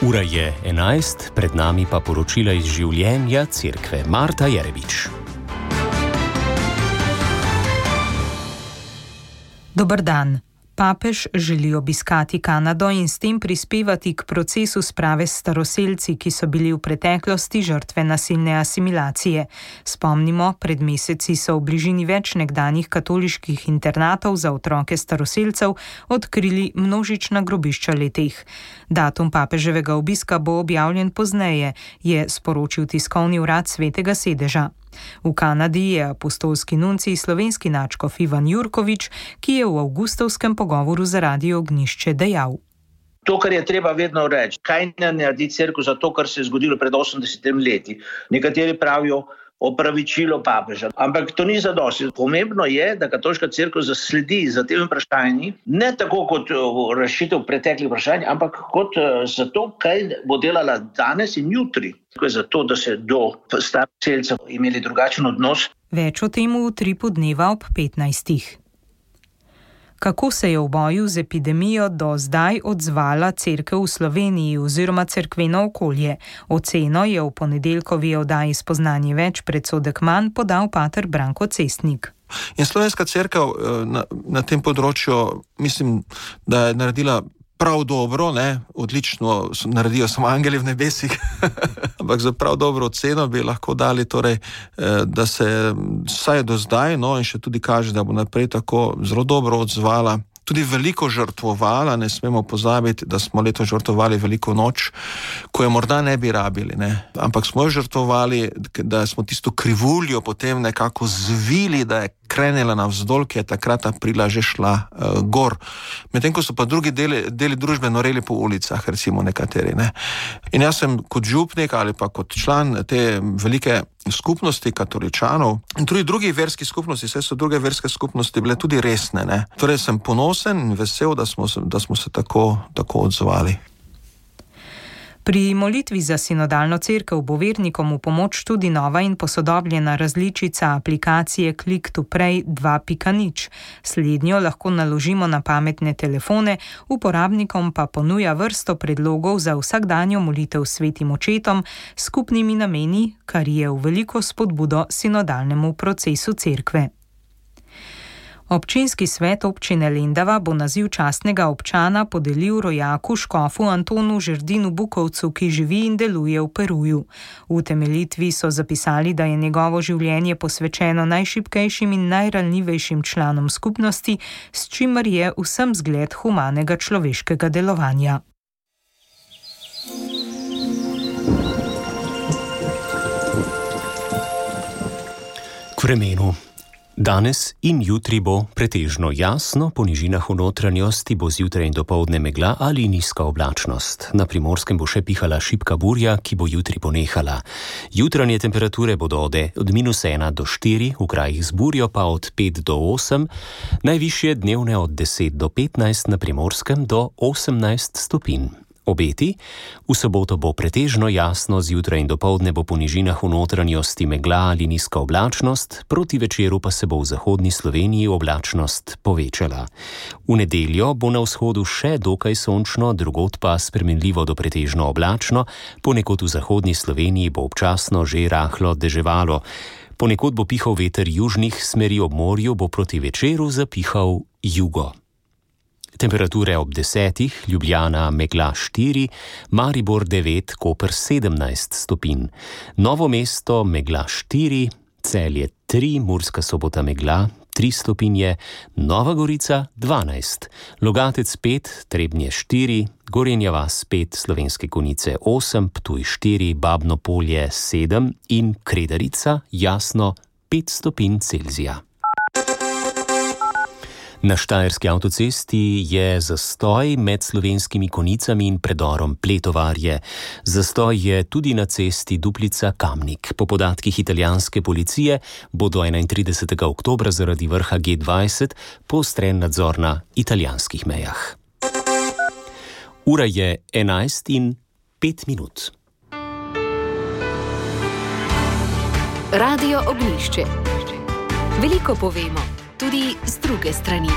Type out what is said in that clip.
Ura je 11, pred nami pa poročila iz življenja cerkve. Marta Jerebič. Dober dan. Papež želi obiskati Kanado in s tem prispevati k procesu sprave s staroselci, ki so bili v preteklosti žrtve nasilne asimilacije. Spomnimo, pred meseci so v bližini več nekdanjih katoliških internatov za otroke staroselcev odkrili množična grobišča le-teh. Datum papeževega obiska bo objavljen pozneje, je sporočil tiskovni urad Svetega sedeža. V Kanadi je apostolski nuncij slovenski nadškof Ivan Jurkovič, ki je v avgustovskem pogovoru za Radio Ognjišče dejal. To, kar je treba vedno reči, kaj ne naredi cerkev za to, kar se je zgodilo pred 80 leti. Nekateri pravijo opravičilo papeža, ampak to ni zadosti. Pomembno je, da katoliška cerkev zasledi za temi vprašanji, ne tako kot rešitev preteklih vprašanj, ampak kot za to, kaj bo delala danes in jutri. Zato, da se do staroselcev imeli drugačen odnos. Več o tem v Utripu dneva ob 15. Kako se je v boju z epidemijo do zdaj odzvala cerkev v Sloveniji oziroma cerkveno okolje? Oceno je v ponedeljkovi oddaji Spoznanje več, predsodek manj podal pater Branko Cestnik. In slovenska cerkev na tem področju, mislim, da je naredila prav dobro, odlično naredijo samo angeli v nebesih, ampak za prav dobro oceno bi lahko dali, torej, da se vsaj do zdaj, in še tudi kaže, da bo naprej tako zelo dobro odzvala, tudi veliko žrtvovala. Ne smemo pozabiti, da smo letos žrtvovali veliko noč, ko je morda ne bi rabili, ampak smo jo žrtvovali, da smo tisto krivuljo potem nekako zvili, da je krenila navzdol, ki je takrat aprila že šla gor. Medtem ko so pa drugi deli družbe noreli po ulicah, recimo nekateri. In jaz sem kot župnik ali pa kot član te velike skupnosti katoličanov in tudi drugih verskih skupnosti, saj so druge verske skupnosti bile tudi resne. Torej sem ponosen in vesel, da smo se tako odzvali. Pri molitvi za sinodalno cerkev bo vernikom v pomoč tudi nova in posodobljena različica aplikacije Click to Pray 2.0. Slednjo lahko naložimo na pametne telefone, uporabnikom pa ponuja vrsto predlogov za vsakdanjo molitev s svetim očetom s skupnimi nameni, kar je v veliko spodbudo sinodalnemu procesu cerkve. Občinski svet občine Lendava bo naziv častnega občana podelil rojaku škofu Antonu Žerdinu Bukovcu, ki živi in deluje v Peruju. V utemeljitvi so zapisali, da je njegovo življenje posvečeno najšibkejšim in najranljivejšim članom skupnosti, s čimer je vsem zgled humanega človeškega delovanja. K vremenu. Danes in jutri bo pretežno jasno, po nižinah v notranjosti bo zjutraj in dopoldne megla ali nizka oblačnost. Na Primorskem bo še pihala šibka burja, ki bo jutri ponehala. Jutranje temperature bodo od -1 do 4, v krajih z burjo pa od 5 do 8, najvišje dnevne od 10 do 15, na Primorskem do 18 stopinj. Obeti. V soboto bo pretežno jasno, zjutraj in dopoldne bo po nižinah v notranjosti megla ali nizka oblačnost, proti večeru pa se bo v zahodni Sloveniji oblačnost povečala. V nedeljo bo na vzhodu še dokaj sončno, drugod pa spremenljivo do pretežno oblačno, ponekod v zahodni Sloveniji bo občasno že rahlo deževalo. Ponekod bo pihal veter južnih smeri, ob morju bo proti večeru zapihal jugo. Temperature ob 10, Ljubljana megla 4, Maribor 9, Koper 17 stopinj. Novo mesto megla 4, Celje 3, Murska Sobota megla 3 stopinje, Nova Gorica 12, Logatec 5, Trebnje 4, Gorenja vas 5, Slovenske Konjice 8, Ptuj 4, Babno Polje 7 in Kredarica jasno 5 stopinj Celzija. Na štajerski avtocesti je zastoj med Slovenskimi Konjicami in predorom Pletovarje. Zastoj je tudi na cesti Duplica-Kamnik. Po podatkih italijanske policije bo do 31. oktobra zaradi vrha G20 poostren nadzor na italijanskih mejah. Ura je 11:05. Radio Ognjišče. Veliko povemo, tudi z druge strani.